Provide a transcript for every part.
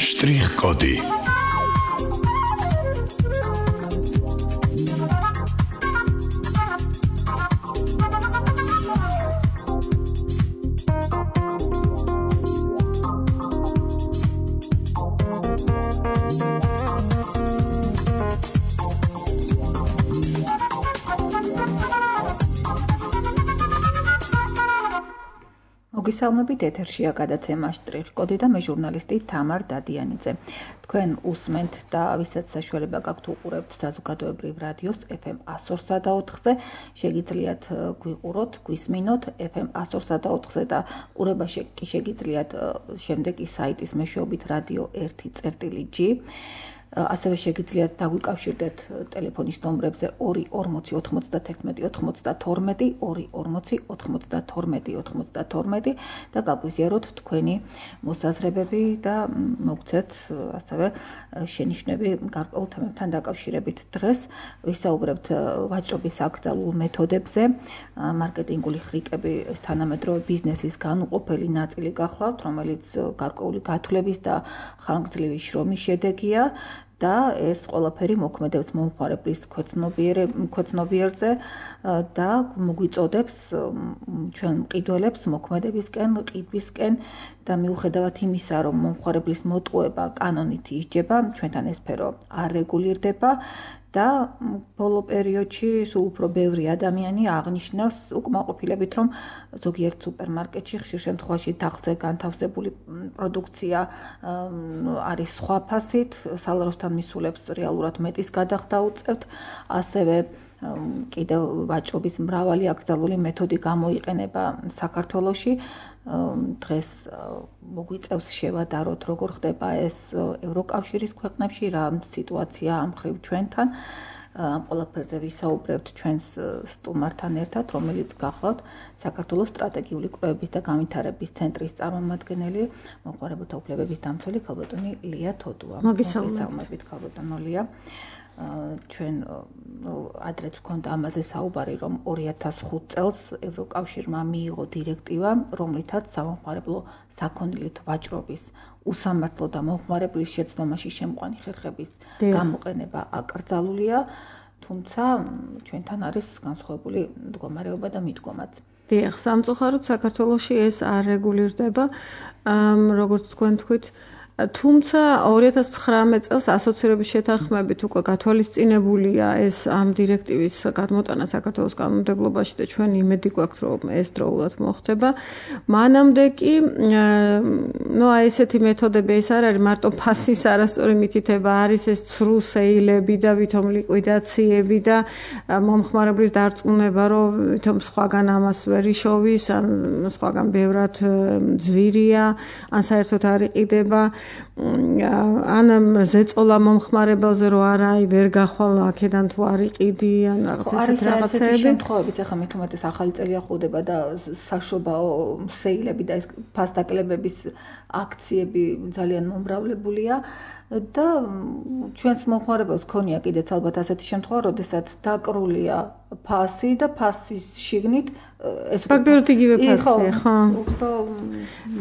Штрих-коды. მოგესალმებით, ეთერშია გადაცემა შტრიხ-კოდი და მე ჟურნალისტი თამარ დადიანიძე. თქვენ უსმენთ და ვისაც საშუალება გაქვთ უყურებთ საზოგადოებრივ რადიოს FM 102.4-ზე, შეგიძლიათ გვიყუროთ, გვისმინოთ FM 102.4-ზე და ყურებაში კი შეგიძლიათ შემდეგი საიტის მეშვეობით Radio 1.G. ასევე შეგიძლიათ დაგვიკავშირდეთ ტელეფონის ნომრებზე 2409192 24092 და გაგვიზიაროთ თქვენი მოსაზრებები და მოგცეთ ასევე შენიშვნები გარკვეულ თემებთან დაკავშირებით. დღეს ვისაუბრებთ ვაჭრობის აკრძალულ მეთოდებზე, მარკეტინგული ხრიკები თანამედროვე ბიზნესის განუყოფელი ნაწილი გახლავთ, რომელიც გარკვეული გათვლების და ხანგრძლივი შრომის შედეგია. და ეს ყველაფერი მოქმედებს მომხმარებლის ქვეცნობიერზე და მოგვიწოდებს ჩვენ მყიდველებს მოქმედებისკენ, ყიდვისკენ და მიუხედავად იმისა, რომ მომხმარებლის მოტყუება კანონით ისჯება, ჩვენთან ეს სფერო არ რეგულირდება და ბოლო პერიოდში სულ უფრო ბევრი ადამიანი აღნიშნავს უკმაყოფილებით, რომ ზოგიერთ სუპერმარკეტში ხშირ შემთხვევაში თაღზე განთავსებული პროდუქცია არის სხვა ფასით, სალაროსთან მისულებს რეალურად მეტის გადახდა უწევთ, ასევე კიდევ ვაჭრობის მრავალი აკრძალული მეთოდი გამოიყენება საქართველოში. დღეს მოგვიწევს შევადაროთ, როგორ ხდება ეს ევროკავშირის ქვეყნებში, რა სიტუაცია ამ მხრივ ჩვენთან. ამ ყველაფერზე ვისაუბრებთ ჩვენს სტუმართან ერთად, რომელიც გახლავთ საქართველოს სტრატეგიული კვლევების და განვითარების ცენტრის წარმომადგენელი, მომხმარებელთა უფლებების დამცველი ქალბატონი ლია თოდუა. მოგესალმებით, ქალბატონო ლია. ჩვენ ადრეც ვქონდა ამაზე საუბარი, რომ 2005 წელს ევროკავშირმა მიიღო დირექტივა, რომლითაც სამომხმარებლო საქონლით ვაჭრობის უსამართლო და მომხმარებლის შეცდომაში შემყვანი ხერხების გამოყენება აკრძალულია, თუმცა ჩვენთან არის განსხვავებული მდგომარეობა და მიდგომაც. დიახ, სამწუხაროდ საქართველოში ეს არ რეგულირდება, როგორც თქვენ თქვით. თუმცა 2019 წელს ასოცირების შეთანხმებით უკვე გათვალისწინებულია ეს ამ დირექტივის გადმოტანა საქართველოს კანონმდებლობაში და ჩვენ იმედი გვაქვს, რომ ეს დროულად მოხდება. მანამდე კი, ესეთი მეთოდები ეს არ არის მარტო ფასის არასწორი მითითება, არის ეს ცრუ სეილები და ვითომ ლიკვიდაციები და მომხმარებლის დარწმუნება, რომ ვითომ სხვაგან ამას ვერ იშოვის, ან სხვაგან ბევრად ძვირია, ან საერთოდ არ იყიდება. ან ზეწოლა მომხმარებელზე რომ არა, ვერ გახვალ აქედან თუ არ იყიდი, ან რაღაც ესეთი რაღაცები. არის შემთხვევებიც, ახლა მით უმეტეს ახალი წელი ახლოვდება და საშობაო სეილები და ეს ფასდაკლებების აქციები ძალიან მომრავლებულია. და ჩვენს მომხმარებელს ქონია კიდეც ალბათ ასეთი შემთხვევა, როდესაც დაკრულია ფასი და ფასის შიგნით ეს ფაქტობრივად იგივე ფასია, ხო?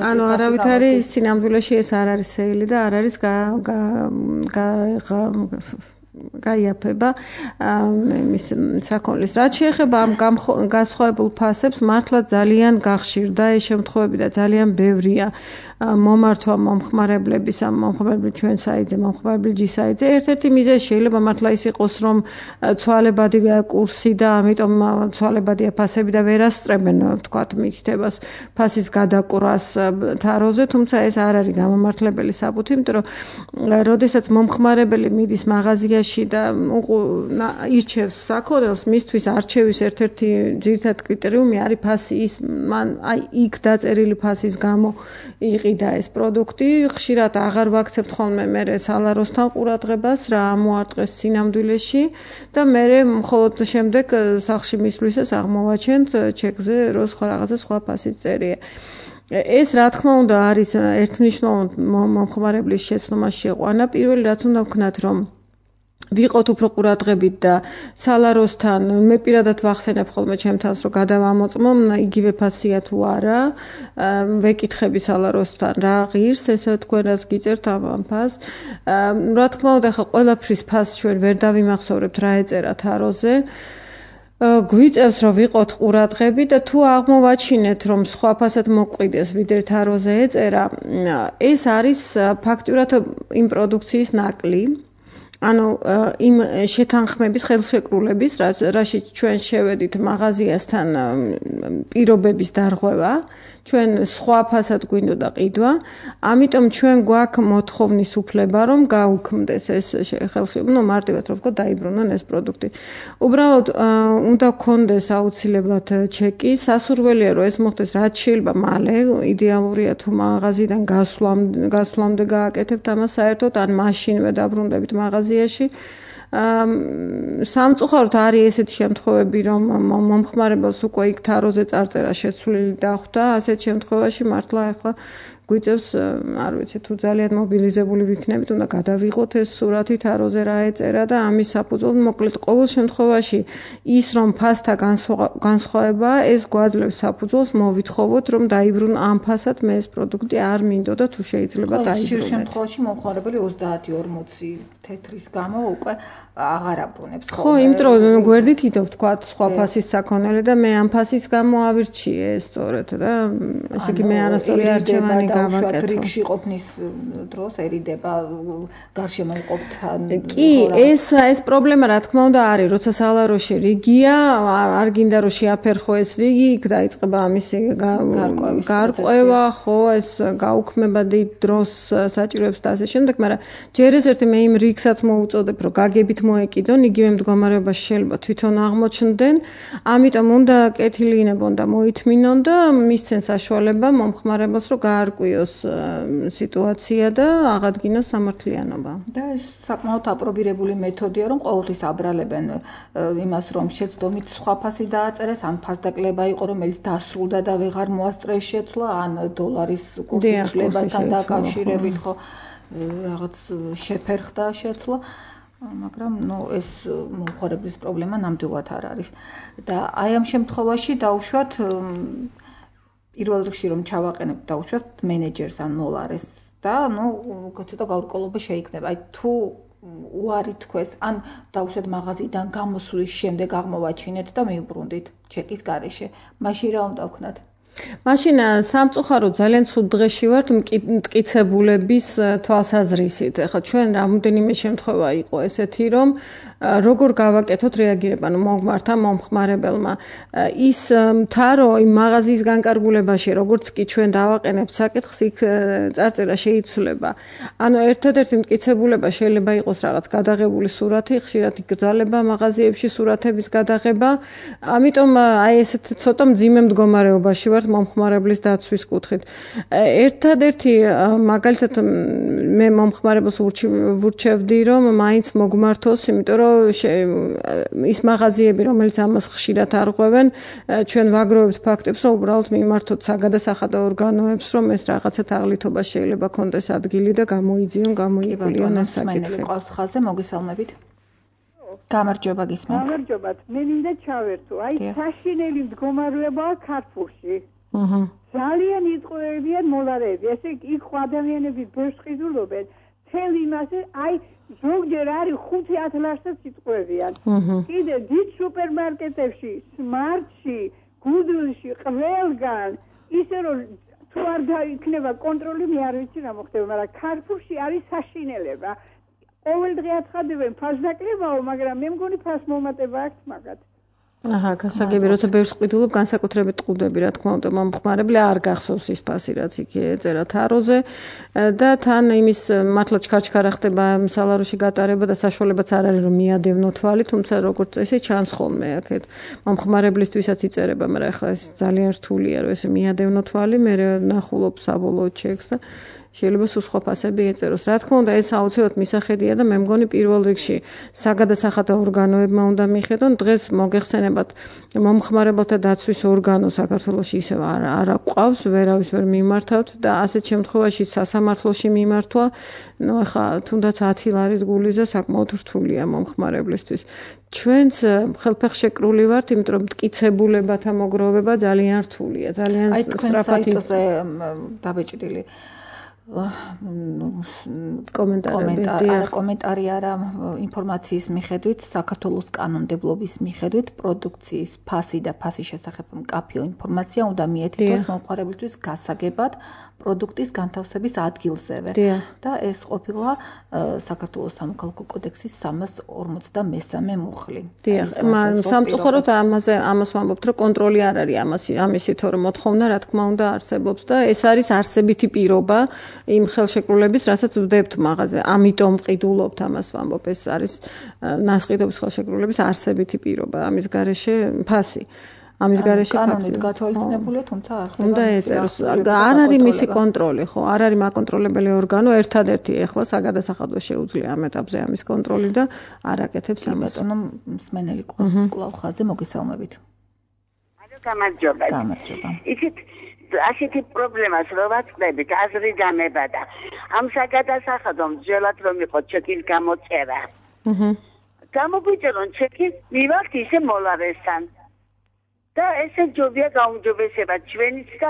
ანუ არავითარი სინამდვილეში ეს არ არის სეილი და არ არის გაიაფება მის საქონლის. რაც შეეხება ამ განსხვავებულ ფასებს, მართლა ძალიან გახშირდა ეს შემთხვევები და ძალიან ბევრია მომართვა მომხმარებლების ამ მომხმარებლი ჩვენ საიტზე, მომხმარებლი G საიტზე. ერთ-ერთი მიზეზი შეიძლება მართლა ის იყოს, რომ ცვალებადი კურსი და ამიტომ ცვალებადია ფასები და ვერ ასწრებენ, ვთქვათ, მითითებას ფასის გადაკვრას თაროზე, თუმცა ეს არ არის გამომართლებელი საბუთი, იმიტომ რომ როდესაც მომხმარებელი მიდის მაღაზიაში და ირჩევს საქონელს, მისთვის არჩევის ერთ-ერთი ძირითადი კრიტერიუმი არის ფასი. ის მან იქ დაწერილი ფასის გამო იყიდა ეს პროდუქტი, ხშირად აღარ ვაქცევთ ხოლმე მე სალაროსთან ყურადღებას, რა მოარტყეს სინამდვილეში და მე მხოლოდ შემდეგ სახლში მისვლისას აღმოვაჩენთ ჩეკზე, რომ რაღაცა სხვა ფასით წერია. ეს რა თქმა უნდა არის ერთმნიშვნელოვნად მომხმარებლის შეცდომაში შეყვანა. პირველი რაც უნდა ვქნათ, რომ ვიყოთ უფრო ყურადღებით და სალაროსთან მე პირადად ვახსენებ ხოლმე ჩემთანს რომ გადავამოწმო იგივე ფასია თუ არა ვეკითხები სალაროსთან რა ღირს ესე თქვენ რას გიწერთ ამ ფასს რა თქმა უნდა ხა ყველაფრის ფასს ჩვენ ვერ დავიმახსოვრებთ რა ეწერა თაროზე გვიწევს რომ ვიყოთ ყურადღები და თუ აღმოვაჩინეთ რომ სხვა ფასად მოყვიდეს ვიდრე თაროზე ეწერა ეს არის ფაქტურად იმ პროდუქციის ნაკლი ანუ იმ შეთანხმების ხელშეკრულების რაშიც ჩვენ შევედით მაღაზიასთან პირობების დარღვევა ჩვენ სხვა ფასად გვინდოდა ყიდვა ამიტომ ჩვენ გვაქვს მოთხოვნის უფლება რომ გაუქმდეს ეს ხელშეკრულება მარტივად რომ ვთქვა დაიბრუნონ ეს პროდუქტი უბრალოდ უნდა გქონდეს აუცილებლად ჩეკი სასურველია რომ ეს მოხდეს რაც შეიძლება მალე იდეალურია თუ მაღაზიიდან გასვლამდე გააკეთებთ ამას საერთოდ ან მაშინვე დაბრუნდებით მაღაზიაში სამწუხაროდ არის ესეთი შემთხვევები რომ მომხმარებელს უკვე იქ თაროზე წარწერა შეცვლილი დახვდა ასეთ შემთხვევაში მართლა ახლა გვიწევს არ ვიცი თუ ძალიან მობილიზებული ვიქნებით უნდა გადავიღოთ ეს სურათი თაროზე რა ეწერა და ამის საფუძვლად მოკლედ ყოველ შემთხვევაში ის რომ ფასთა განსხვავება ეს გვაძლევს საფუძველს მოვითხოვოთ რომ დაიბრუნო ამ ფასად მე ეს პროდუქტი არ მინდოდა თუ შეიძლება დაიბრუნოთ ხშირ შემთხვევაში მომხმარებელი 30-40 თეთრის გამო უკვე აღარ აბრუნებს ხო იმიტომ რომ გვერდით იდო ვთქვა სხვა ფასის საქონელი და მე ამ ფასის გამო ავირჩიე სწორედ და ესე იგი მე არასწორი არჩევანი გავაკეთე რიგში ყოფნის დროსერიდება გარშემო იყოფთან კი ეს პრობლემა რა თქმა უნდა არის როცა სალაროში რიგია არ გინდა რომ შეაფერხო ეს რიგი იქ დაიწყება ამისი გარკვევა ხო ეს გაუქმება დიდ დროს საჭიროებს და ასე შემდეგ მაგრამ ჯერ ეს ერთი მე იმ რიგსაც მოუწოდებ რომ გაგებით მოეკიდონ იგივე მდგომარეობაში შეიძლება თვითონ აღმოჩნდნენ ამიტომ უნდა კეთილინებონ და მოითმინონ და მისცენ საშუალება მომხმარებელს რომ გაარკვიოს სიტუაცია და აღადგინოს სამართლიანობა და ეს საკმაოდ აპრობირებული მეთოდია რომ ყოველთვის აბრალებენ იმას რომ შეცდომით სხვა ფასი დააწერეს ან ფასდაკლება იყო რომელიც დასრულდა და ვეღარ მოასწრეს შეცვლა ან დოლარის კურსის ცვლებასთან დაკავშირებით ხო რაღაც შეფერხდა შეცვლა მაგრამ ეს მომხმარებლის პრობლემა ნამდვილად არ არის და აი ამ შემთხვევაში დაუშვათ პირველ რიგში რომ ჩავაყენებთ დაუშვათ მენეჯერს ან მოლარეს და ცოტა გაურკვევლობა შეიქმნება აი თუ უარი თქვეს ან დაუშვათ მაღაზიიდან გამოსვლის შემდეგ აღმოვაჩინეთ და მიუბრუნდით ჩეკის გარეშე მაშინ რა უნდა ვქნათ მაშინ სამწუხაროდ ძალიან ცუდ დღეში ვართ მტკიცებულების თვალსაზრისით. ეხლა ჩვენ რამოდენიმე შემთხვევა იყო ესეთი, რომ როგორ გავაკეთოთ რეაგირება მომხმართან მომხმარებელმა. ის თარო იმ მაღაზიის განკარგულებაში, როგორც კი ჩვენ დავაყენებთ საკითხს, იქ წარწერა შეიცვლება. ანუ ერთადერთი მტკიცებულება შეიძლება იყოს რაღაც გადაღებული სურათი, ხშირად იგრძალება მაღაზიებში სურათების გადაღება. ამიტომ აი ესეთ ცოტა მძიმე მდგომარეობაში ვართ მომხმარებლის დაცვის კუთხით. ერთადერთი მაგალითად მე მომხმარებელს ვურჩევდი რომ მაინც მოგმართოს, იმიტომ რომ ის მაღაზიები რომელიც ამას ხშირად არღვევენ, ჩვენ ვაგროვებთ ფაქტებს, რომ უბრალოდ მიმართოთ საგადასახადო ორგანოებს, რომ ეს რაღაცა თაღლითობა შეიძლება კონდეს ადგილი და გამოიძიონ, გამოიკვლიონ ეს საკითხი. ყავს ხაზზე მოგესალმებით. გამარჯობა გისმენთ. გამარჯობა. მე მინდა ჩავერთო. აი საშინელი მდგომარეობაა ქართულში. ძალიან იწყვეტიან მოლარები. ესე იქ ადამიანები ბევრს ყიდულობენ. თელ იმაზე აი ზოგჯერ არის 5-10 ლარსაც იწყვეტიან. კიდე დიდ სუპერმარკეტებში, სმარტში, გუდლში, ყველგან ისე რომ თუ არ დაიქნება კონტროლი, მე არ ვიცი რა მოხდება, მაგრამ ქართულში არის საშინელება. ყოველ დღე აცხადებენ ფასდაკლებაო, მაგრამ მე მგონი ფასმომატება აქვს მაგათ. აჰა, გასაგები, როცა ბევრს ყიდულობ, განსაკუთრებით ყუდები, რა თქმა უნდა, მომხმარებელი არ გახსოვს ის ფასი, რაც იქ ეწერა თაროზე და თან იმის მართლა ჩქარჩქარა ხდება სალაროში გატარება და საშუალებაც არ არის რომ მიადევნო თვალი, თუმცა როგორც ესე ჩანს ხოლმე აქეთ მომხმარებლისთვისაც იწერება, მაგრამ ახლა ეს ძალიან რთულია, რომ ესე მიადევნო თვალი, მე ნახულობ საბოლოო ჩეკს და შეიძლება სულ სხვა ფასები ეწეროს. Რა თქმა უნდა, ეს აუცილებლად მისახედია და მე მგონი პირველ რიგში საგადასახადო ორგანოებმა უნდა მიხედონ. დღეს მოგეხსენებათ მომხმარებელთა დაცვის ორგანო საქართველოში ისევ არ აყვავს, ვერავის ვერ მიმართავთ და ასეთ შემთხვევაში სასამართლოში მიმართვა, ახლა თუნდაც 10 ლარის გულიზე საკმაოდ რთულია მომხმარებლისთვის. ჩვენც ხელფეხშეკრული ვართ, იმიტომ რომ მტკიცებულებათა მოგროვება ძალიან რთულია, ძალიან სწრაფად დაბეჭდილი კომენტარი არა ინფორმაციის მიხედვით, საქართველოს კანონმდებლობის მიხედვით პროდუქციის ფასი და ფასის შესახებ მკაფიო ინფორმაცია უნდა მიეთითოს მომხმარებლისთვის გასაგებად პროდუქტის განთავსების ადგილზევე და ეს ყოფილა საქართველოს სამოქალაქო კოდექსის 353 მუხლი. დიახ, სამწუხაროდ ამას ვამბობთ, რომ კონტროლი არ არის ამისი თორემ მოთხოვნა რა თქმა უნდა არსებობს და ეს არის არსებითი პირობა იმ ხელშეკრულების, რასაც ვდებთ მაღაზე. ამიტომ ვყიდულობთ ამას ვამბობ, ეს არის ნასყიდობის ხელშეკრულების არსებითი პირობა, ამის გარეშე ფასი. ამის გარეშე კანონით გათვალისწინებულია, თუმცა არ ხდება. უნდა ეწეროს. არ არის მისი კონტროლი, ხო? არ არის მაკონტროლებელი ორგანო, ერთადერთი ეხლა საგადასახადო შეუძლია ამ ეტაპზე ამის კონტროლი და არ აკეთებს ამას. ბატონო მსმენელი კვლავ ხაზზე მოგესალმებით. გამარჯობა. იქით ასეთი პრობლემას რო ვაწყდებით, აზრი დამებადა. ამ საგადასახადო მსჯელად რომ იყო ჩეკის გამოწერა. გამოგვიწერონ ჩეკი, მივახთ ისე მოლარესთან. და ესე ჯობია გაუმჯობესება ჩვენიც და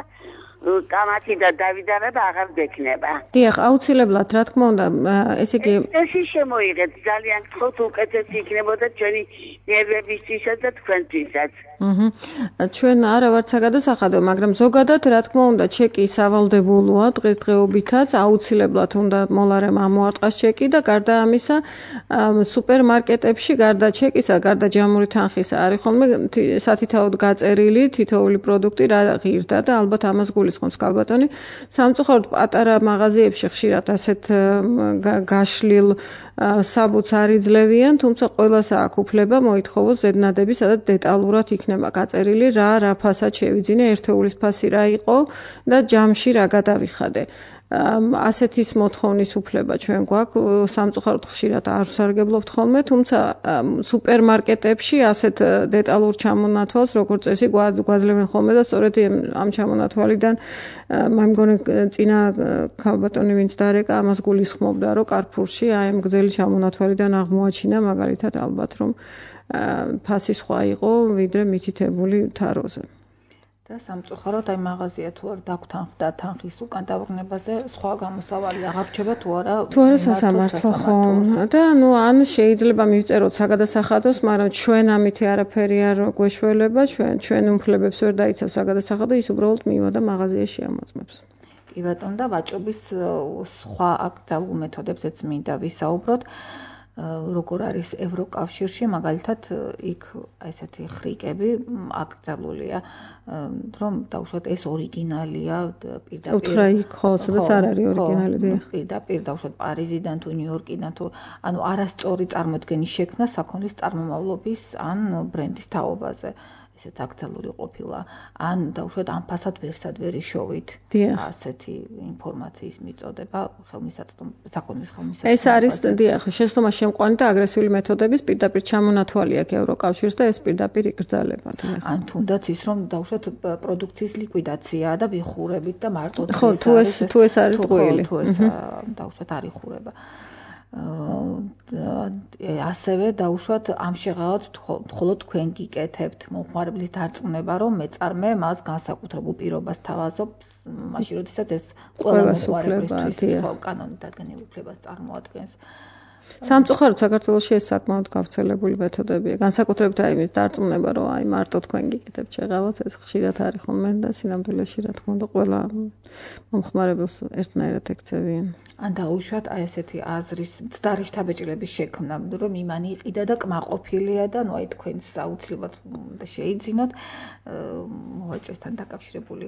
კამათი და დავიდარება აღარ გექნება. დიახ, აუცილებლად, რა თქმა უნდა, ესე იგი ეს შემოიღეთ ძალიან გთხოვთ უკეთესი იქნებოდა ჩვენი ნერვებისთვისაც და თქვენთვისაც. ჩვენ არა ვართ საგადასახადო, მაგრამ ზოგადად რა თქმა უნდა, ჩეკი სავალდებულოა დღესდღეობითაც, აუცილებლად უნდა მოლარემ ამოარტყას ჩეკი და გარდა ამისა, სუპერმარკეტებში გარდა ჩეკისა, გარდა ჯამური თანხისა არის ხოლმე სათითაოდ გაწერილი თითოეული პროდუქტი რა ღირდა და ალბათ ამას გულისხმობს კალბატონი. სამწუხაროდ პატარა მაღაზიებში ხშირად ასეთ გაშლილ საბუთს არ იძლევიან, თუმცა ყველას აქვს უფლება მოითხოვოს ზედნადები, სადაც დეტალურად იქნება გაწერილი რა ფასად შევიძინე, ერთეულის ფასი რა იყო და ჯამში რა გადავიხადე. ასეთის მოთხოვნის უფლება ჩვენ გვაქვს, სამწუხაროდ ხშირად არ ვსარგებლობთ ხოლმე, თუმცა სუპერმარკეტებში ასეთ დეტალურ ჩამონათვალს როგორც წესი გვაძლევენ ხოლმე და სწორედ ამ ჩამონათვალიდან მე მგონი წინა ქალბატონი ვინც დარეკა ამას გულისხმობდა, რომ კარფურში აი ამ გრძელი ჩამონათვალიდან აღმოაჩინა მაგალითად ალბათ რომ ფასი სხვა იყო ვიდრე მითითებული თაროზე. და სამწუხაროდ აი მაღაზია თუ არ დაგთანხმდა თანხის უკან დაბრუნებაზე სხვა გამოსავალი აღარ რჩება თუ არა სასამართლო ხო და ან შეიძლება მივწეროთ საგადასახადოს, მაგრამ ჩვენ ამითი არაფერი არ გვეშველება, ჩვენ უფლებებს ვერ დაიცავს საგადასახადო, ის უბრალოდ მივადა მაღაზიაში ამოწმებს. კი ბატონო და ვაჭრობის სხვა აკრძალულ მეთოდებზეც მინდა ვისაუბროთ. როგორ არის ევროკავშირში, მაგალითად, იქ ესეთი ხრიკები აკრძალულია, რომ დაუშვათ ეს ორიგინალია პირდაპირ. უთხრა იქ ხო, სადაც არ არის ორიგინალი. პირდაპირ დაუშვათ პარიზიდან თუ ნიუ-იორკიდან თუ ანუ არასწორი წარმოდგენის შექმნა საქონლის წარმომავლობის ან ბრენდის თაობაზე. ესეც აკრძალული ყოფილა. ან დაუშვათ ამ ფასად ვერსადვერი შოვით. ასეთი ინფორმაციის მიწოდება საქონლის ხელმისაწვდომი. ეს არის დიახ, შეცდომა შემყვანი და აგრესიული მეთოდების პირდაპირ ჩამონათვალი აქვს ევროკავშირს და ეს პირდაპირ იკრძალება. ან თუნდაც ის რომ დაუშვათ პროდუქციის ლიკვიდაციაა და ვიხურებით და მარტო ხო, თუ ეს არის ტყუილი. თუ ეს დაუშვათ არ იხურება. ასევე დაუშვათ ამ შეღავად მხოლოდ თქვენ გიკეთებთ მომხმარებლის დარწმუნება, რომ მეწარმე მას განსაკუთრებულ პირობას თავაზობს, მაშინ როდესაც ეს ყველა მომხმარებლისთვის კანონით დადგენილ უფლებას წარმოადგენს. სამწუხაროდ საქართველოში ეს საკმაოდ გავრცელებული მეთოდებია. განსაკუთრებით აი იმის დარწმუნება, რომ აი მარტო თქვენ გიკეთებთ შეღავას, ეს ხშირად არის ხოლმე და სინამდვილეში რა თქმა უნდა ყველა მომხმარებელს ერთნაირად ეკცევიან. ან დაუშვათ აი ესეთი აზრის მცდარი შთაბეჭდილების შექმნა, რომ იმანი იყიდა და კმაყოფილია და ნუ აი თქვენს აუცილებლად შეიძინოთ მოვაჭრესთან დაკავშირებული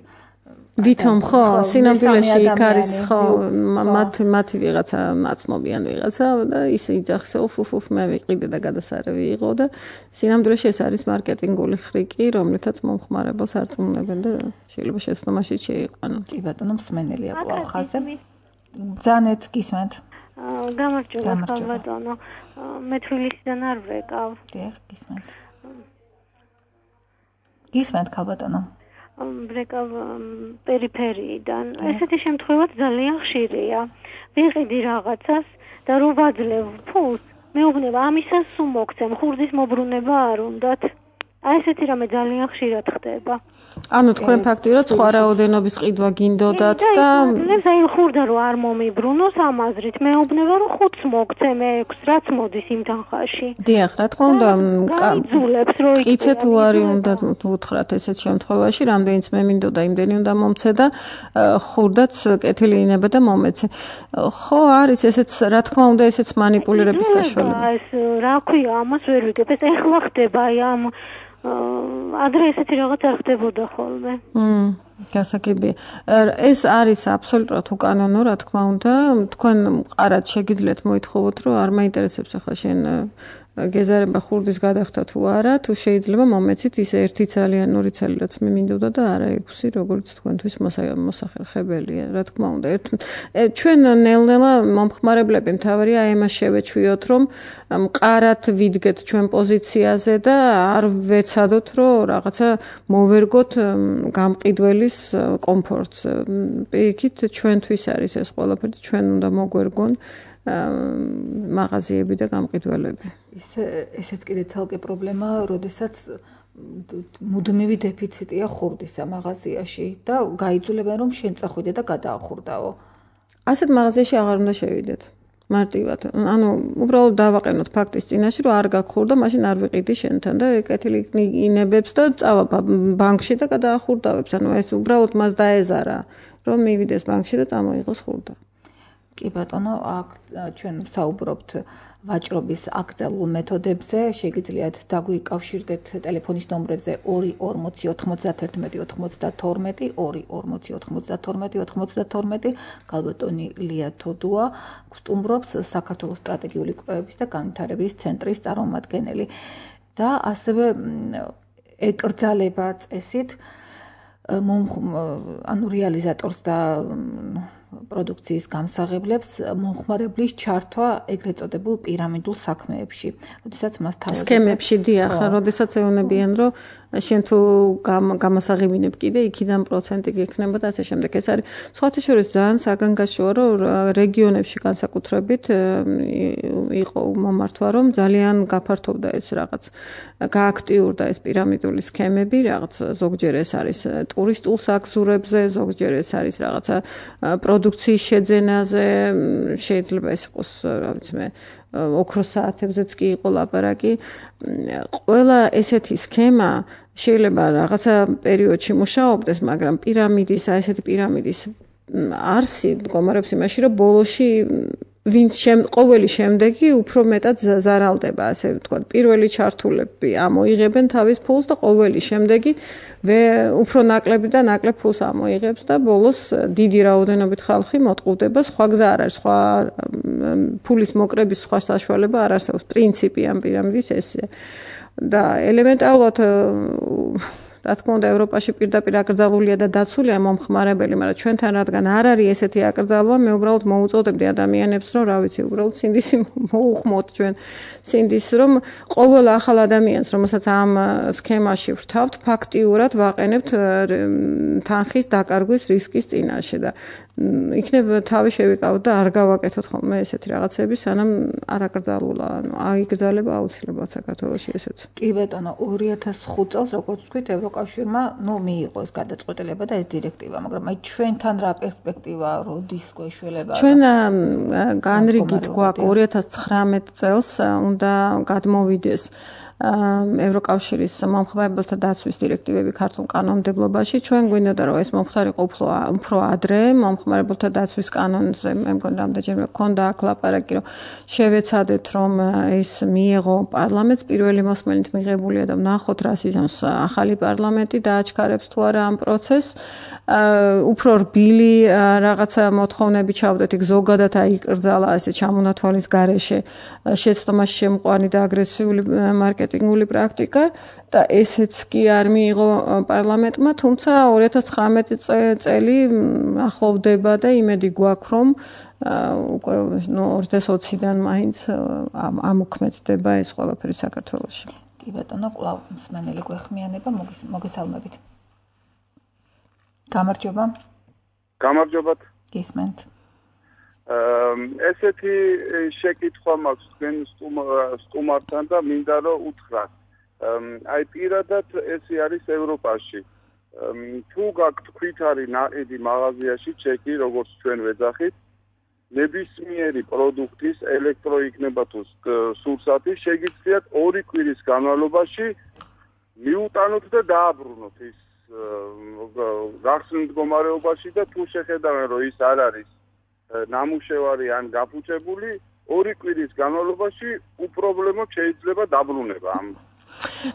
ვითომ ხო სინამდვილეში იქ არის ხო მათი ვიღაცა მაცნობიან ვიღაცა და ის იძახს უფ მე ვიყიდე და გადასარევი იყო და სინამდვილეში ეს არის მარკეტინგული ხრიკი, რომლითაც მომხმარებელს არწმუნებენ და შეიძლება შეცდომაში შეიყვანონ. კი ბატონო, მსმენელია კვლავ ხაზზე. Ձանეთ գիսմենთ გამარჯობა ხალბატონო მე თბილისიდან არ ვეკავ დიახ გისმენთ ხალბატონო ვეკავ პერიფერიიდან ესეთი შემთხვევაც ძალიან ხშირია ვიყიდი რაღაცას და რო ვაძლევ ფულს მეუბნება ამისას სულ მოგცემ ხურდის მობრუნება არ უნდათ აი ესეთი რამე ძალიან ხშირად ხდება ანუ თქვენ ფაქტიურად სხვა რაოდენობის ყიდვა გინდოდათ და აი ხურდა რო არ მომიბრუნოს ამაზრით მეუბნება რომ 5-ს მოგცემ 6 რაც მოდის იმ თანხაში დიახ რა თქმა უნდა გაიძულებს რო იცით უარი უნდა უთხრათ ესეთ შემთხვევაში რამდენიც მე მინდოდა იმდენი უნდა მომცე და ხურდაც კეთილი ინება და მომეცე ხო არის ესეც რა თქმა უნდა ესეც მანიპულირების საშუალება ეს რა ქვია ამას ვერ ვიგებ ეს ეხლა ხდება აი ამ ადრე ესეთი რაღაც არ ხდებოდა ხოლმე. გასაგებია. ეს არის აბსოლუტურად უკანონო, რა თქმა უნდა. თქვენ მყარად შეგიძლიათ მოითხოვოთ, რომ არ მაინტერესებს ახლა შენ გეზარება ხურდის გადახდა თუ არა, თუ შეიძლება მომეცით ის ერთი ძალიანური ცელი, რაც მე მინდოდა და არა 6, როგორც თქვენთვის მოსახერხებელია, რა თქმა უნდა. ჩვენ ნელ-ნელა მომხმარებლები მთავარია აი ამას შევეჩვიოთ, რომ მყარად ვიდგეთ ჩვენ პოზიციაზე და არ ვეცადოთ, რომ რაღაცა მოვერგოთ გამყიდველის კომფორტს. პირიქით ჩვენთვის არის ეს ყველაფერი, ჩვენ უნდა მოგვერგონ მაღაზიები და გამყიდველები. ესეც კიდე ცალკე პრობლემაა, როდესაც მუდმივი დეფიციტია ხურდისა მაღაზიაში და გაიძულებენ რომ შენ წახვიდე და გადაახურდაო. ასეთ მაღაზიაში აღარ უნდა შევიდეთ. მარტივად. ანუ უბრალოდ დავაყენოთ ფაქტის წინაშე რომ არ გაგხურდა, მაშინ არ ვიყიდი შენთან და კეთილი ინებებს და წავა ბანკში და გადაახურდავებს. ანუ ეს უბრალოდ მას დაეზარა რომ მივიდეს ბანკში და წამოიღოს ხურდა. კი ბატონო, აქ ჩვენ საუბრობთ ვაჭრობის აკრძალულ მეთოდებზე, შეგიძლიათ დაგვიკავშირდეთ ტელეფონის ნომრებზე 2409192 2409192 ქალბატონი ლია თოდუა გსტუმრობს საქართველოს სტრატეგიული კვლევების და განვითარების ცენტრის წარმომადგენელი და ასევე ეკრძალება წესით ანუ რეალიზატორს და პროდუქციის გამსაღებლებს მომხმარებლის ჩართვა ეგრეთ წოდებულ პირამიდულ საქმეებში. როდესაც მას თავად სქემებში დიახ, როდესაც ეუბნებიან, რომ შენ თუ გამასაღებინებ კიდე იქიდან პროცენტი გექნება და ასე შემდეგ. ეს არის სხვათა შორის ძალიან საგანგაშოა, რომ რეგიონებში განსაკუთრებით იყო მომართვა, რომ ძალიან გაფართოვდა ეს რაღაც გააქტიურდა ეს პირამიდული სქემები, რაღაც ზოგჯერ ეს არის ტურისტულ საგზურებზე, ზოგჯერ ეს არის რაღაცა პროდუქციის შეძენაზე, შეიძლება ეს იყოს, რა ვიცი მე, ოქროს საათებზეც კი იყო ლაპარაკი. ყველა ესეთი სქემა შეიძლება რაღაცა პერიოდში მუშაობდეს, მაგრამ პირამიდის, ესეთი პირამიდის არსი მდგომარეობს იმაში, რომ ბოლოში ვინც ყოველი შემდეგი უფრო მეტად ზარალდება, ასე ვთქვათ. პირველი ჩართულები ამოიღებენ თავის ფულს და ყოველი შემდეგი უფრო ნაკლები და ნაკლებ ფულს ამოიღებს და ბოლოს დიდი რაოდენობით ხალხი მოტყუდება, სხვა გზა არ არის, სხვა ფულის მოკრების სხვა საშუალება არ არსებობს. პრინციპი ამ პირამიდის ესეა. და ელემენტარულად რა თქმა უნდა ევროპაში პირდაპირ აკრძალულია და დაცულია მომხმარებელი, მაგრამ ჩვენთან რადგან არ არის ესეთი აკრძალვა, მე უბრალოდ მოუწოდებდი ადამიანებს, რომ რა ვიცი, უბრალოდ სინდისი მოუხმოთ ჩვენ სინდის, რომ ყოველ ახალ ადამიანს, რომელსაც ამ სქემაში ვრთავთ, ფაქტიურად ვაყენებთ თანხის დაკარგვის რისკის წინაშე და იქნებ თავი შევიკავოთ და არ გავაკეთოთ ხოლმე ესეთი რაღაცები, სანამ არ აკრძალულა, ანუ აიგრძალება აუცილებლად საქართველოში ესეც. კი ბატონო, 2005 წელს როგორც ვთქვით, ევროკავშირმა, მიიღო ეს გადაწყვეტილება და ეს დირექტივა, მაგრამ აი ჩვენთან რა პერსპექტივა, როდის გვეშველება? ჩვენ განრიგით გვაქვს 2019 წელს უნდა გადმოვიდეს ევროკავშირის მომხმარებელთა დაცვის დირექტივები ქართულ კანონმდებლობაში. ჩვენ გვინდოდა რომ ეს მომხდარიყო უფრო ადრე მომხმარებელთა დაცვის კანონზე, მე მგონი რამდენჯერმე გქონდა აქ ლაპარაკი, რომ შევეცადეთ რომ ეს მიეღო პარლამენტს, პირველი მოსმენით მიღებულია და ვნახოთ რა სიზამს ახალი პარლამენტი დააჩქარებს თუ არა ამ პროცესს. უფრო რბილი რაღაცა მოთხოვნები ჩავდეთ, იქ ზოგადად აიკრძალა ესე ჩამონათვალის გარეშე შეცდომაში შემყვანი და აგრესიული მარკეტინგული პრაქტიკა და ესეც კი არ მიიღო პარლამენტმა, თუმცა 2019 წელი ახლოვდება გრძელდება და იმედი გვაქვს რომ უკვე 2020-დან მაინც ამოქმედდება ეს ყველაფერი საქართველოში. კი ბატონო, კვლავ მსმენელი გვეხმიანება, მოგესალმებით. გამარჯობა. გამარჯობათ. გისმენთ. ესეთი შეკითხვა მაქვს თქვენ სტუმართან და მინდა რომ უთხრათ. აი პირადად ესე არის ევროპაში. თუ გაქვთ ქვითარი ნაყიდი მაღაზიაში ჩეკი, როგორც ჩვენ ვეძახით, ნებისმიერი პროდუქტის ელექტრო იქნება თუ სურსათი შეგიძლიათ 2 კვირის განმავლობაში მიუტანოთ და დააბრუნოთ ის გახსნილ მდგომარეობაში და თუ შეხედავენ რომ ის არ არის ნამუშევარი ან გაფუჭებული 2 კვირის განმავლობაში უპრობლემოდ შეიძლება დაბრუნება ამ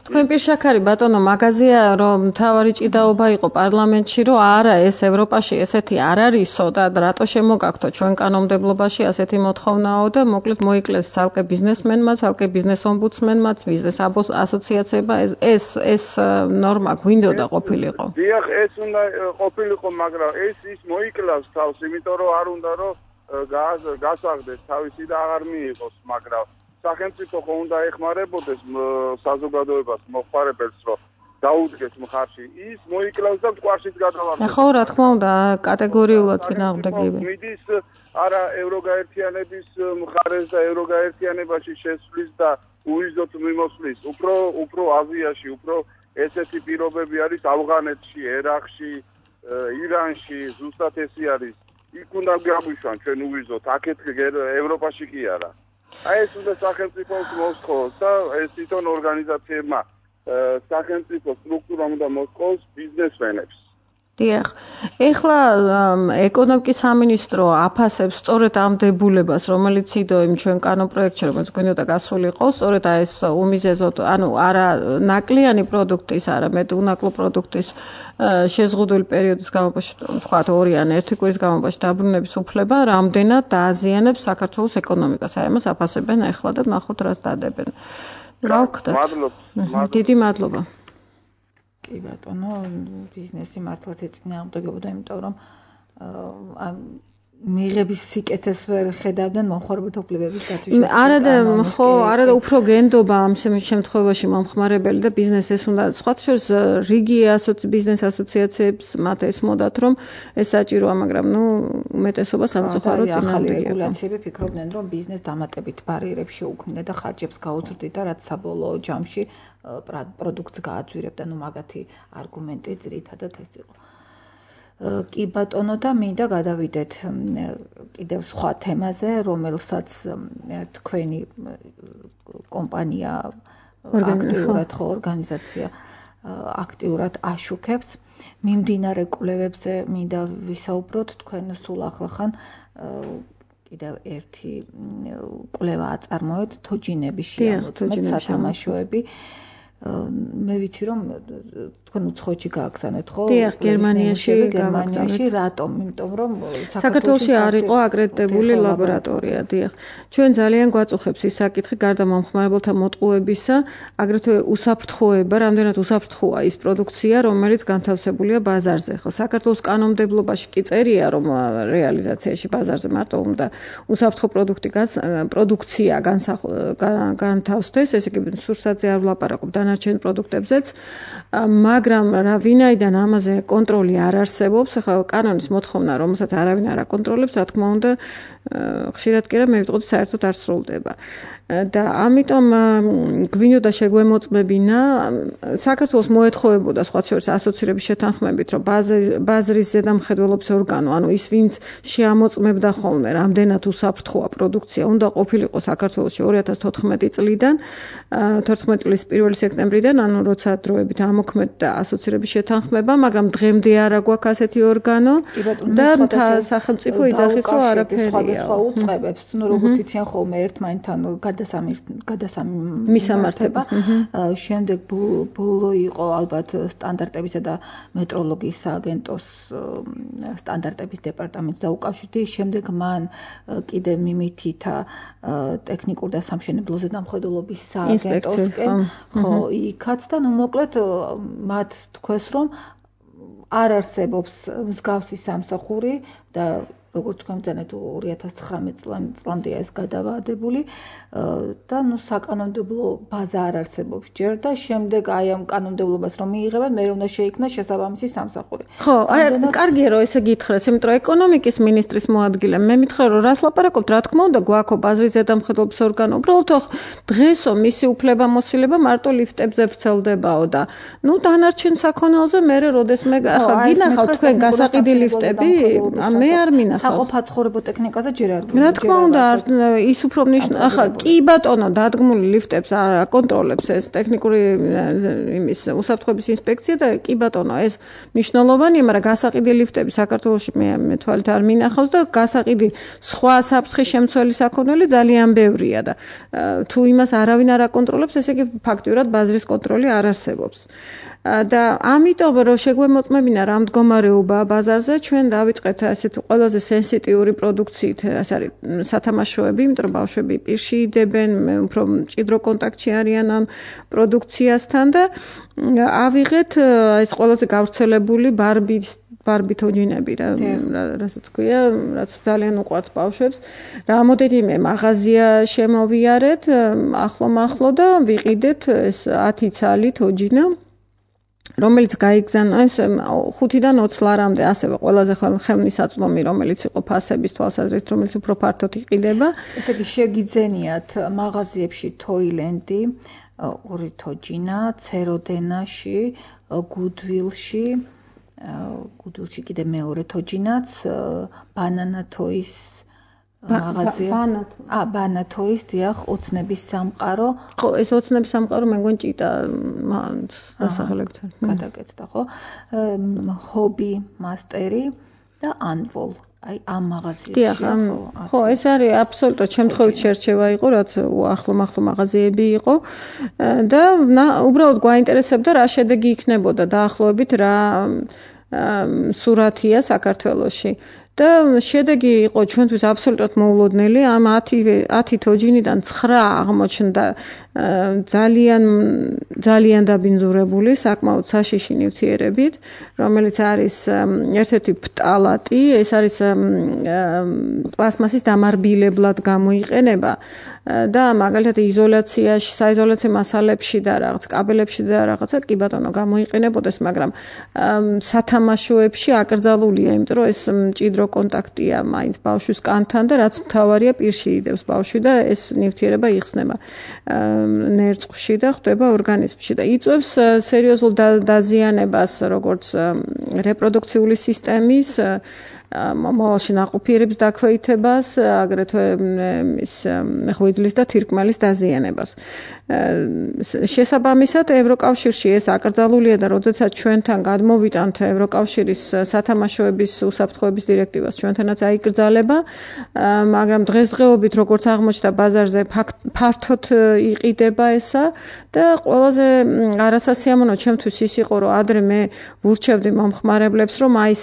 თქვენ პირშაქარი ბატონო მაგაზია რომ თავარი ჭიდაობა იყო პარლამენტში რომ არა ეს ევროპაში ესეთი არ არისო და რატო შემოგაქვთო ჩვენ კანონმდებლობაში ასეთი მოთხოვნაო და მოკლედ მოიკლეს ცალკე ბიზნესმენმა, ცალკე ბიზნეს ომბუდსმენმა, ბიზნეს ასოციაციებმა ეს ნორმა გვინდოდა ყოფილიყო. დიახ, ეს უნდა ყოფილიყო, მაგრამ ის მოიკლავს თავს, იმიტომ რომ არ უნდა რომ გასაღდეს თავისი და აღარ მიიღოს, მაგრამ სახელმწიფო ხო უნდა ეხმარებოდეს საზოგადოებას მოხმარებელს რომ დაუდგეს მხარში ის მოიკლავს და მტკვარშიც გადავარდა ხო რა თქმა უნდა კატეგორიულად წინააღმდეგები მიდის არა ევროგაერთიანების მხარეს და ევროგაერთიანებაში შესვლის და უიზოთ მიმოსვლის უფრო აზიაში უფრო ესეთი პირობები არის ავღანეთში ერაყში ირანში ზუსტად ესე არის იქ უნდა გაგვიშვან ჩვენ უიზოთ აქეთ ევროპაში კი არა აი ეს უნდა სახელმწიფოს მოსწოს და ეს თვითონ ორგანიზაციებმა სახელმწიფო სტრუქტურამ უნდა მოსწოს ბიზნესმენებს. დიახ. ეხლა ეკონომიკის სამინისტრო აფასებს სწორედ ამ დებულებას, რომელიც იდო იმ ჩვენ კანონპროექტში, რომელიც გვინდოდა გასულიყო, სწორედ ეს უმიზეზოდ, ანუ არა ნაკლიანი პროდუქტის, არამედ უნაკლო პროდუქტის შეზღუდული პერიოდის განმავლობაში, თქვა 2 ან 1 კვირის განმავლობაში დაბრუნების უფლება რამდენად დააზიანებს საქართველოს ეკონომიკას. აი ამას აფასებენ ეხლა და ნახოთ რას დადებენ. რა ვქნათ? მადლობა. დიდი მადლობა. კი ბატონო, ბიზნესი მართლაც ეწინააღმდეგებოდა, იმიტომ რომ მიღების სიკეთეს ვერ ხედავდნენ მომხმარებელთა უფლებების დაცვის. არადა უფრო გენდობა ამ შემთხვევაში მომხმარებელი და ბიზნესი ეს უნდა სხვათა შორის რიგი ბიზნეს ასოციაციებს მათ ესმოდათ რომ ეს საჭიროა, მაგრამ უმეტესობა სამწუხაროდ წინააღმდეგია. რეგულაციები ფიქრობდნენ რომ ბიზნეს დამატებით ბარიერებს შეუქმნიდა და ხარჯებს გაუზრდიდა, რაც საბოლოო ჯამში პროდუქტს გააძვირებდა, მაგათი არგუმენტი ძირითადად ეს იყო. კი ბატონო და მინდა გადავიდეთ კიდევ სხვა თემაზე, რომელსაც თქვენი კომპანია აქტიურად ორგანიზაცია აქტიურად აშუქებს. მიმდინარე კვლევებზე მინდა ვისაუბროთ, თქვენ სულ ახლახან კიდევ ერთი კვლევა აწარმოეთ თოჯინების შეამოწმეთ სათამაშოები. მე ვიცი რომ თქვენ უცხოეთში გააგზავნეთ ხო? დიახ, გერმანიაში რატომ? იმიტომ რომ საქართველოში არ იყო აკრედიტებული ლაბორატორია, დიახ. ჩვენ ძალიან გვაწუხებს ის საკითხი გარდა მომხმარებელთა მოტყუებისა, აგრეთვე უსაფრთხოება, რამდენად უსაფრთხოა ის პროდუქცია, რომელიც განთავსებულია ბაზარზე. ხო, საქართველოს კანონმდებლობაში კი წერია, რომ რეალიზაციაში ბაზარზე მარტო უნდა უსაფრთხო პროდუქცია განთავსდეს, ესე იგი სურსათზე არ ვლაპარაკობ დანარჩენ პროდუქტებზეც, მაგრამ ვინაიდან ამაზე კონტროლი არ არსებობს, ახლა კანონის მოთხოვნა, რომელსაც არავინ არ აკონტროლებს, რა თქმა უნდა, ხშირად კი რა მე ვიტყოდი საერთოდ არ სრულდება. და ამიტომ გვინდოდა შეგვემოწმებინა საქართველოს მოეთხოვებოდა სხვათა შორის ასოცირების შეთანხმებით, რომ ბაზრის ზედამხედველობის ორგანო, ანუ ის ვინც შეამოწმებდა ხოლმე რამდენად უსაფრთხოა პროდუქცია, უნდა ყოფილიყო საქართველოში 2014 წლიდან 14 წლის 1 სექტემბრიდან, ანუ როცა დროებით ამოქმედდა ასოცირების შეთანხმება, მაგრამ დღემდე არა გვაქვს ასეთი ორგანო და სახელმწიფო იძახის, რომ არაფერია. სხვა უწყებებს, როგორც იციან ხოლმე ერთმანეთთან გადასამართება. შემდეგ ბოლო იყო ალბათ სტანდარტებისა და მეტროლოგიის სააგენტოს სტანდარტების დეპარტამენტს დაუკავშირდი. შემდეგ მან კიდე მიმითითა ტექნიკურ და სამშენებლო ზედამხედველობის სააგენტოსკენ. ხო, იქაც და მოკლედ მათ თქვეს რომ არ არსებობს მსგავსი სამსახური და როგორც თქვენ ბრძანეთ 2019 წლამდეა ეს გადავადებული და საკანონმდებლო ბაზა არ არსებობს ჯერ და შემდეგ აი ამ კანონმდებლობას რომ მიიღებენ მე უნდა შეიქმნას შესაბამისი სამსახური. ხო, კარგია რომ ესე გითხრათ, იმიტომ რომ ეკონომიკის მინისტრის მოადგილე მე მითხრა რომ რას ლაპარაკობთ, რა თქმა უნდა გვაქვს ბაზრის ზედამხედველობის ორგანო, უბრალოდ დღესო მისი უფლებამოსილება მარტო ლიფტებზე ვრცელდებაო და დანარჩენ საქონელზე მე როდესმე ახლა გინახავთ თქვენ გასაყიდი ლიფტები, მე არ მინახავს. საყოფაცხოვრებო ტექნიკაზე ჯერ არ რა თქმა უნდა ის უფრო ახლა კი ბატონო დადგმული ლიფტებს აკონტროლებს ეს ტექნიკური იმის უსაფრთხოების ინსპექცია და კი ბატონო ეს მნიშვნელოვანია, მაგრამ გასაყიდი ლიფტები საქართველოში მე თვალით არ მინახავს და გასაყიდი სხვა საფრთხის შემცველი საქონელი ძალიან ბევრია და თუ იმას არავინ არ აკონტროლებს, ესე იგი ფაქტიურად ბაზრის კონტროლი არ არსებობს. და ამიტომ რომ შეგვემოწმებინა რა მდგომარეობაა ბაზარზე, ჩვენ დავიწყეთ ასეთ ყველაზე სენსიტიური პროდუქციით, ეს არის სათამაშოები, იმიტომ რომ ბავშვები პირში იდებენ, უფრო მჭიდრო კონტაქტში არიან ამ პროდუქციასთან და ავიღეთ ეს ყველაზე გავრცელებული ბარბი თოჯინები რასაც ქვია, რაც ძალიან უყვართ ბავშვებს. რამოდენიმე მაღაზია შემოვიარეთ ახლო და ვიყიდეთ ეს 10 ცალი თოჯინა რომელიც გაიგზავნა ეს 5-დან 20 ლარამდე ასევე ყველაზე ხელმისაწვდომი რომელიც იყო ფასების თვალსაზრისით რომელიც უფრო ფართოდ იყიდება. ესე იგი შეგიძენიათ მაღაზიებში თოილენდი, ორი თოჯინა, ცეროდენაში, გუდვილში კიდე მეორე თოჯინაც, ბანანათოის მაღაზია. ბანათოის დიახ, ოცნების სამყარო. ხო, ეს ოცნების სამყარო მე მგონი ჭიტა დასახელებთან. გადაკეთდა, ხო? ჰობი მასტერი და ანვოლ. აი ამ მაღაზიაში. ხო, ეს არის აბსოლუტურად შემთხვევით შერჩევა იყო, რაც ახლო მაღაზიები იყო და უბრალოდ გვაინტერესებდა რა შედეგი იქნებოდა დაახლოებით რა სურათია საქართველოში. და შედეგი იყო ჩვენთვის აბსოლუტურად მოულოდნელი, ამ 10 თოჯინიდან 9 აღმოჩნდა ძალიან დაბინძურებული, საკმაოდ საშიში ნივთიერებით, რომელიც არის ერთ-ერთი ფტალატი, ეს არის პლასმასის დამარბილებლად გამოიყენება და მაგალითად იზოლაციაში, საიზოლაციო მასალებში და რაღაც კაბელებში და რაღაცა კი ბატონო გამოიყენებოდეს, მაგრამ სათამაშოებში აკრძალულია, იმიტომ რომ ეს მჭიდრო კონტაქტია მაინც ბავშვის კანთან და რაც მთავარია პირში იდებს ბავშვი და ეს ნივთიერება იხსნება ნერწყვში და ხვდება ორგანიზმში და იწვევს სერიოზულ დაზიანებას როგორც რეპროდუქციული სისტემის მომავალში ნაყოფიერების დაქვეითებას, აგრეთვე ის ღვიძლის და თირკმელის დაზიანებას. შესაბამისად ევროკავშირში ეს აკრძალულია და როდესაც ჩვენთან გადმოვიტანთ ევროკავშირის სათამაშოების უსაფრთხოების დირექტივას ჩვენთანაც აიკრძალება, მაგრამ დღესდღეობით როგორც აღმოჩნდა ბაზარზე ფართოდ იყიდება ესა და ყველაზე არასასიამოვნო ჩემთვის ის იყო რომ ადრე მე ვურჩევდი მომხმარებლებს რომ აი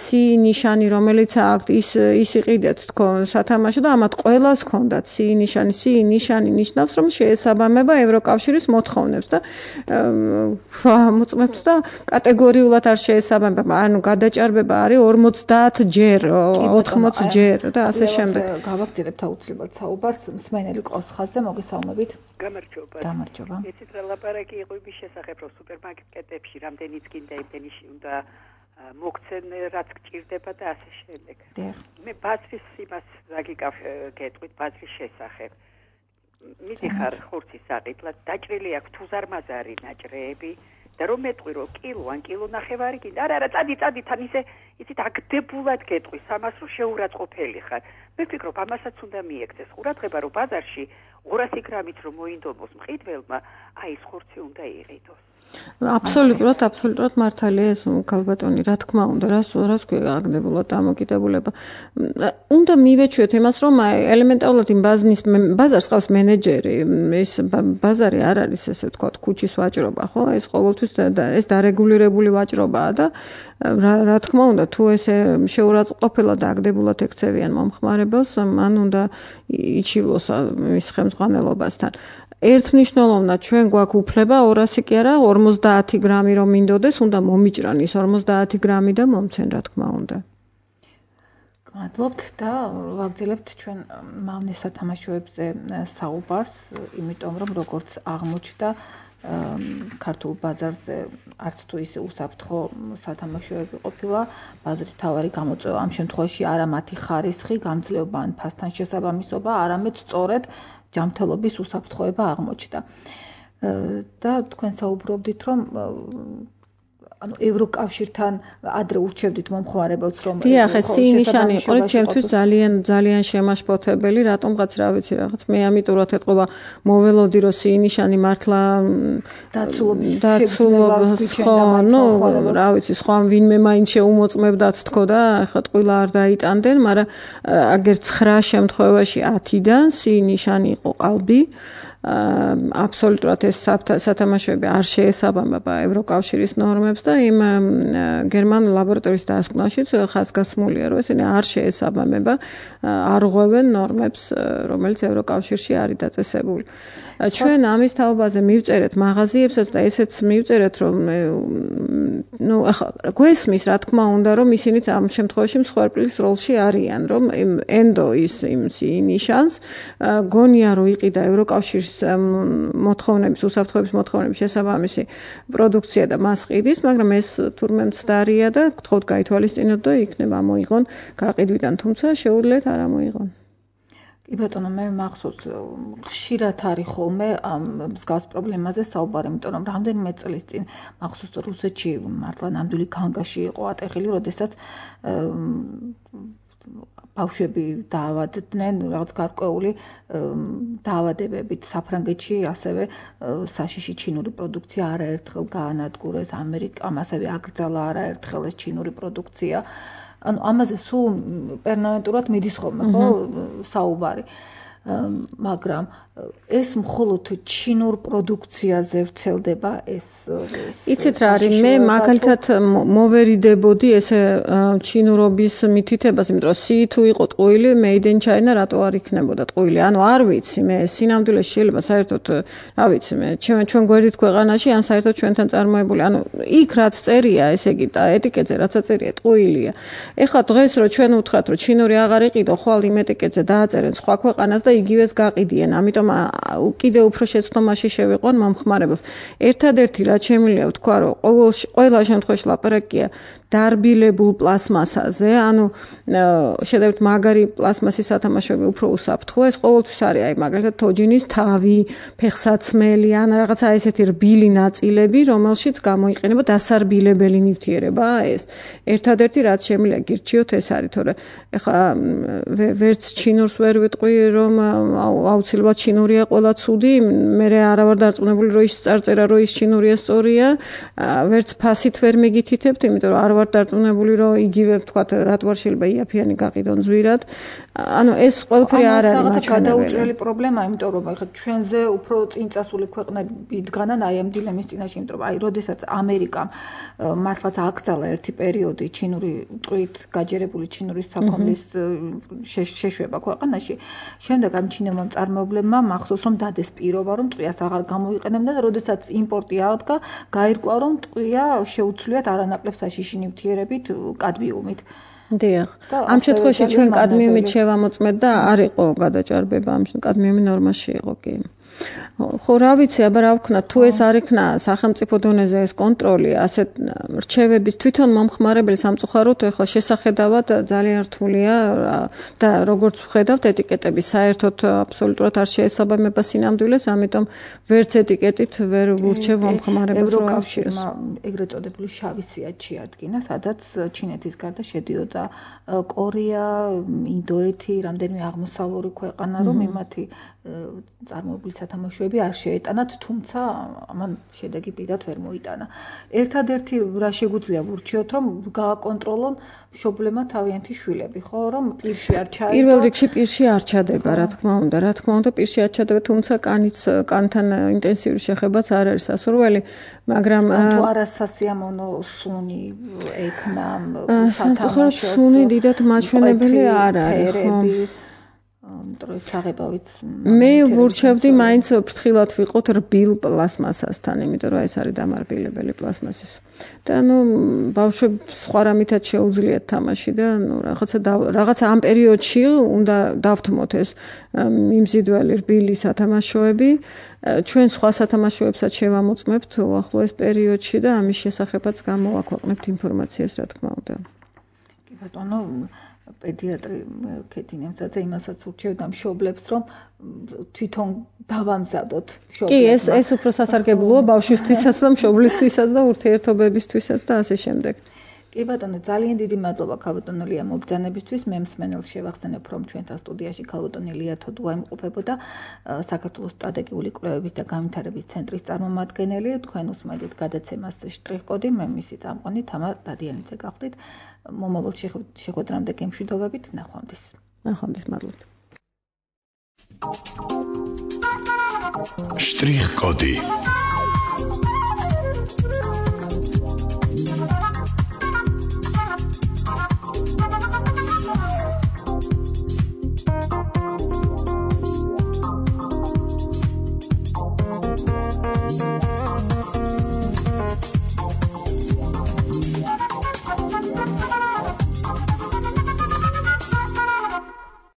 ნიშანი რომელიც აქვთ ის იყიდეთ თქო სათამაშო და ამათ ყველას ჰქონდათ ნიშანი ნიშნავს რომ შეესაბამება ევროკავშირის მოთხოვნებს და მოწმებს და კატეგორიულად არ შეესაბამება, ანუ გადაჭარბება არის 50 ჯერ, 80 ჯერ და ასე შემდეგ. გავაგრძელებთ აუცილებლად საუბარს მსმენელი ყავს ხაზზე, მოგესალმებით. გამარჯობა. იცით რა ლაპარაკი იყო იმის შესახებ, რომ სუპერმარკეტებში რამდენიც კიდე იმდენი უნდა მოგცენ რაც გჭირდება და ასე შემდეგ. მე ბაზრის იმას გეტყვით ბაზრის შესახებ. მიდიხარ ხურცის საყიდლად, დაჭრილი აქვს თუზარმაზარი ნაჭრეები და რომ მეტყვი რომ კილო ან კილონახევარი კიდე არა წადი თან იცით აგდებულად გეტყვის ამას რომ შეურაცხყოფელი ხარ. მე ვფიქრობ ამასაც უნდა მიექცეს ყურადღება რომ ბაზარში 200 გრამით რომ მოინდომოს მყიდველმა აი ეს ხურცი უნდა იყიდოს. აბსოლუტურად მართალია ეს ქალბატონი, რა თქმა უნდა, რას ქვია აგდებულად დამოკიდებულება. უნდა მივეჩვიოთ იმას, რომ ელემენტარულად იმ ბაზარს ყავს მენეჯერი, ეს ბაზარი არ არის ესე ვთქვათ, ქუჩის ვაჭრობა, ხო? ეს ყოველთვის ეს დარეგულირებული ვაჭრობაა და რა თქმა უნდა, თუ ესე შეურაცხყოფილად აგდებულად ექცევიან მომხმარებელს, მან უნდა იჩივლოს მის ხელმძღვანელობასთან. ერთმნიშვნელოვნად ჩვენ გვაქვს უფლება 200 კი არა 50 გრამი რომ მინდოდეს, უნდა მომიჭრან ის 50 გრამი და მომცენ, რა თქმა უნდა. მადლობთ და ვაგრძელებთ ჩვენ მავნე სათამაშოებზე საუბარს, იმიტომ რომ როგორც აღმოჩნდა ქართულ ბაზარზე არც თუ ისე უსაფრთხო სათამაშოები ყოფილა, ბაზრის მთავარი გამოწვევა ამ შემთხვევაში არა მათი ხარისხი, გამძლეობა ან ფასთან შესაბამისობა, არამედ სწორედ ჯანმრთელობის უსაფრთხოება აღმოჩნდა. და თქვენ საუბრობდით, რომ ანუ ევროკავშირთან ადრე ურჩევდით მომხმარებელს რომ დიახ, ეს ნიშანი იყო ჩემთვის ძალიან შემაშფოთებელი, რატომღაც რა ვიცი რაღაც მე ამიტურად ეთყობა მოველოდი რომ ნიშანი მართლა დაცულობის ხო, ნუ რა ვიცი, სხვა ვინმე მაინც შეუმოწმებდათ თქო და ეხლა ტყუილა არ დაიტანდნენ, მაგრამ აგერ 9 შემთხვევაში 10-დან ნიშანი იყო ყალბი. აბსოლუტურად ეს სათამაშოები არ შეესაბამება ევროკავშირის ნორმებს და იმ გერმანულ ლაბორატორიის დასკვნაშიც ხაზგასმულია, რომ ესენი არ შეესაბამება, არ ღვევენ ნორმებს, რომელიც ევროკავშირში არის დაწესებული. ჩვენ ამის თაობაზე მივწერეთ მაღაზიებსაც და ესეც მივწერეთ, რომ ნუ ახლა გვესმის, რა თქმა უნდა, რომ ისინიც ამ შემთხვევაში მსხვერპლის როლში არიან, რომ ენდო ის ნიშანს გონია რომ იყიდა ევროკავშირის მოთხოვნების, უსაფრთხოების მოთხოვნების შესაბამისი პროდუქცია და მას ყიდის, მაგრამ ეს თურმე მცდარია და გთხოვთ გაითვალისწინოთ და იქნება მოიღონ გაყიდვიდან, თუმცა შეუძლიათ არ მოიღონ. კი ბატონო, მე მახსოვს ხშირად არის ხოლმე ამ მსგავს პრობლემაზე საუბარი, იმიტომ რომ რამდენიმე წლის წინ მახსოვს რუსეთში მართლა ნამდვილი განგაში იყო ატეხილი, როდესაც ბავშვები დაავადდნენ რაღაც გარკვეული დაავადებებით საფრანგეთში, ასევე საშიში ჩინური პროდუქცია არაერთხელ გაანადგურეს, ამერიკამ ასევე აკრძალა არაერთხელ ეს ჩინური პროდუქცია. ანუ ამაზე სულ პერმანენტურად მიდის ხოლმე ხო საუბარი. მაგრამ ეს მხოლოდ ჩინურ პროდუქციაზე ვრცელდება ეს იცით რა არის მე მაგალითად მოვერიდებოდი ესე ჩინურობის მითითებას, იმიტომ რომ სი თუ იყო ტყუილი made in China რატო არ იქნებოდა ტყუილი, ანუ არ ვიცი მე სინამდვილეში შეიძლება საერთოდ რა ვიცი მე ჩვენ გვერდით ქვეყანაში ან საერთოდ ჩვენთან წარმოებული, ანუ იქ რაც წერია ესე იგი ეტიკეტზე რაც წერია ტყუილია. ეხლა დღეს რო ჩვენ უთხრათ რომ ჩინური აღარ იყიდო, ხვალ იმ ეტიკეტზე დააწერენ სხვა ქვეყანას და იგივეს გაყიდიან, ამიტომ კიდე უფრო შეცდომაში შევიყვან მომხმარებელს. ერთადერთი რაც შემიძლია ვთქვა, რომ ყველა შემთხვევაში ლაპარაკია დარბილებულ პლასმასაზე, ანუ შედარებით მაგარი პლასმასის სათამაშოები უფრო უსაფრთხოა, ეს ყოველთვის არის, აი მაგალითად თოჯინის თავი, ფეხსაცმელი, ან რაღაცა ესეთი რბილი ნაწილები, რომელშიც გამოიყენება დასარბილებელი ნივთიერებაა ეს. ერთადერთი რაც შემიძლია გირჩიოთ ეს არის, თორე ეხლა ვერც ჩინურს ვერ ვიტყვი, რომ აუცილებლად ჩინურია ყველა ცუდი, მე არა ვარ დარწმუნებული, რომ ის წარწერა, რომ ის ჩინურია სწორია, ვერც ფასით ვერ მიგითითებთ, იმიტომ რომ არ ვარ დარწმუნებული, რომ იგივე ვთქვათ, რატო არ შეიძლება იაფიანი გაყიდონ ზვირად. ანუ ეს ყველაფერი არ არის მაჩვენებელი. გადაუჭრელი პრობლემაა, იმიტომ რომ ახლა ჩვენზე უფრო წინწასული ქვეყნები დგანან აი ამ დილემის წინაშე, იმიტომ რომ აი როდესაც ამერიკამ მართლაც აკრძალა ერთი პერიოდი ჩინური ტყვით გაჯერებული ჩინურის საქონლის შეშვება ქვეყანაში, შემდეგ ამ ჩინელმა მწარმოებლებმა მახსოვს რომ დადეს პირობა, რომ ტყვიას აღარ გამოიყენებდა და როდესაც იმპორტი აღდგა, გაირკვა რომ ტყვია შეუცვლიათ არანაკლებ საშიში ნივთიერებით, კადმიუმით. დიახ. ამ შემთხვევაში ჩვენ კადმიუმით შევამოწმეთ და არ იყო გადაჭარბება, ამ კადმიუმი ნორმაში იყო კი. ხო რა ვიცი, აბა რა ვქნა, თუ ეს არ იქნა სახელმწიფო დონეზე ეს კონტროლი, ასეთ რჩევების თვითონ მომხმარებელი სამწუხაროდ ეხლა შესახედავად ძალიან რთულია და როგორც ვხედავთ ეტიკეტები საერთოდ აბსოლუტურად არ შეესაბამება სინამდვილეს, ამიტომ ვერც ეტიკეტით ვერ ვურჩევ მომხმარებელს რომ ევროკავშირმა ეგრეთ წოდებული შავი სიათ შეადგინა, სადაც ჩინეთის გარდა შედიოდა კორეა, ინდოეთი, რამდენიმე აღმოსავლური ქვეყანა, რომ იმათი წარმოებული სათამაშოები არ შეეტანათ, თუმცა ამან შედეგი დიდად ვერ მოიტანა. ერთადერთი რა შეგვიძლია ვურჩიოთ, რომ გააკონტროლონ მშობლებმა თავიანთი შვილები, ხო, რომ პირში არ ჩაება. პირველ რიგში პირში არ ჩადება, რა თქმა უნდა, პირში არ ჩადება, თუმცა კანთან ინტენსიური შეხებაც არ არის სასურველი, მაგრამ თუ არა სასიამოვნო სუნი ექნა სათამაშოს. სუნი დიდად მაჩვენებელი არ არის, ხო. იმიტომ რომ საღებავით მე ვურჩევდი მაინც ფრთხილად ვიყოთ რბილ პლასმასასთან, იმიტომ რომ ეს არის დამარბილებელი პლასმასის. და ბავშვებს სხვა რამითაც შეუძლიათ თამაში და რაღაცა ამ პერიოდში უნდა დავთმოთ ეს მიმზიდველი რბილი სათამაშოები. ჩვენ სხვა სათამაშოებსაც შევამოწმებთ უახლოეს პერიოდში და ამის შესახებაც გამოვაქვეყნებთ ინფორმაციას, რა თქმა უნდა. კი ბატონო, პედიატრი ქეთინემსაძე იმასაც ურჩევდა მშობლებს, რომ თვითონ დავამზადოთ კი, მშობლებს. ეს უფრო სასარგებლოა ბავშვისთვისაც და მშობლისთვისაც და ურთიერთობებისთვისაც და ასე შემდეგ. კი ბატონო, ძალიან დიდი მადლობა ქალბატონო ლია მობრძანებისთვის. მე მსმენელს შევახსენებ, რომ ჩვენთან სტუდიაში ქალბატონი ლია თოდუა იმყოფებოდა, საქართველოს სტრატეგიული კვლევების და განვითარების ცენტრის წარმომადგენელი. თქვენ უსმენთ გადაცემას შტრიხ-კოდი, მე მისი წამყვანი თამა დადიანიძე გახდით. მომავალ შეხვედრამდე გემშვიდობებით, ნახვამდის. ნახვამდის, მადლობთ. შტრიხ-კოდი